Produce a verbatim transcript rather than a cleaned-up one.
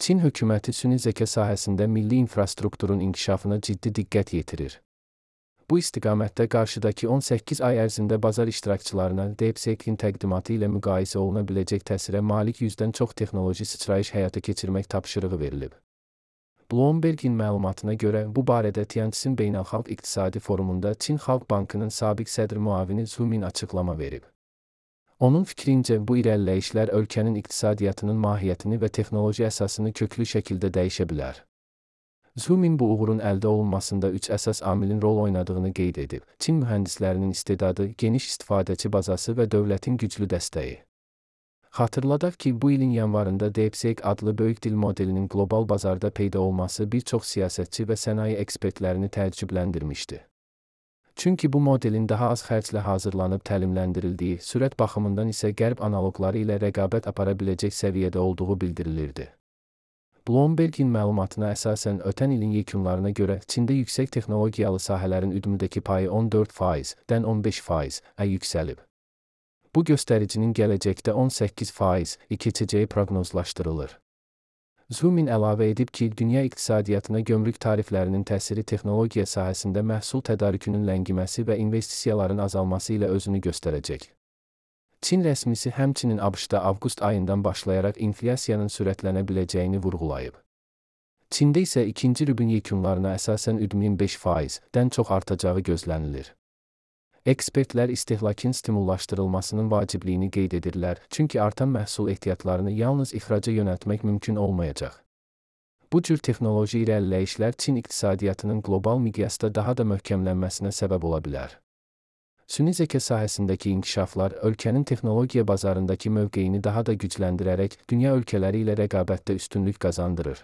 Çin hökuməti süni zəka sahəsində milli infrastrukturun inkişafına ciddi diqqət yetirir. Bu istiqamətdə qarşıdakı on səkkiz ay ərzində bazar iştirakçılarına DeepSeek-in təqdimatı ilə müqayisə oluna biləcək təsirə malik yüzdən çox texnoloji sıçrayış həyata keçirmək tapşırığı verilib. Bloomberg-in məlumatına görə, bu barədə Tianjin Beynəlxalq İqtisadi Forumunda Çin Xalq Bankının sabiq sədr müavini Zhu Min açıqlama verib. Onun fikrincə, bu irəliləyişlər ölkənin iqtisadiyyatının mahiyyətini və texnoloji əsasını köklü şəkildə dəyişə bilər. Zhu Min bu uğurun əldə olunmasında üç əsas amilin rol oynadığını qeyd edib. Çin mühəndislərinin istedadı, geniş istifadəçi bazası və dövlətin güclü dəstəyi. Xatırladaq ki, bu ilin yanvarında DeepSeek adlı böyük dil modelinin qlobal bazarda peyda olması bir çox siyasətçi və sənaye ekspertlərini təəccübləndirmişdi. Çünki bu modelin daha az xərclə hazırlanıb təlimləndirildiyi, sürət baxımından isə qərb analoqları ilə rəqabət apara biləcək səviyyədə olduğu bildirilirdi. Bloomberg-in məlumatına əsasən ötən ilin yekunlarına görə Çində yüksək texnologiyalı sahələrin üdümündəki payı on dörd faizdən on beş faizə yüksəlib. Bu göstəricinin gələcəkdə on səkkiz faizə keçəcəyi proqnozlaşdırılır. Zhu Min əlavə edib ki, dünya iqtisadiyyatına gömrük tariflərinin təsiri texnologiya sahəsində məhsul tədarükünün ləngiməsi və investisiyaların azalması ilə özünü göstərəcək. Çin rəsmisi həmçinin ABŞ-da avqust ayından başlayaraq inflyasiyanın sürətlənə biləcəyini vurğulayıb. Çində isə ikinci rübün yekunlarına əsasən üdümün beş faizdən çox artacağı gözlənilir. Ekspertlər istehlakın stimullaşdırılmasının vacibliyini qeyd edirlər, çünki artan məhsul ehtiyatlarını yalnız ixraca yönəltmək mümkün olmayacaq. Bu cür texnoloji irəliləyişlər Çin iqtisadiyyatının qlobal miqyasda daha da möhkəmlənməsinə səbəb ola bilər. Süni zəka sahəsindəki inkişaflar ölkənin texnologiya bazarındakı mövqeyini daha da gücləndirərək dünya ölkələri ilə rəqabətdə üstünlük qazandırır.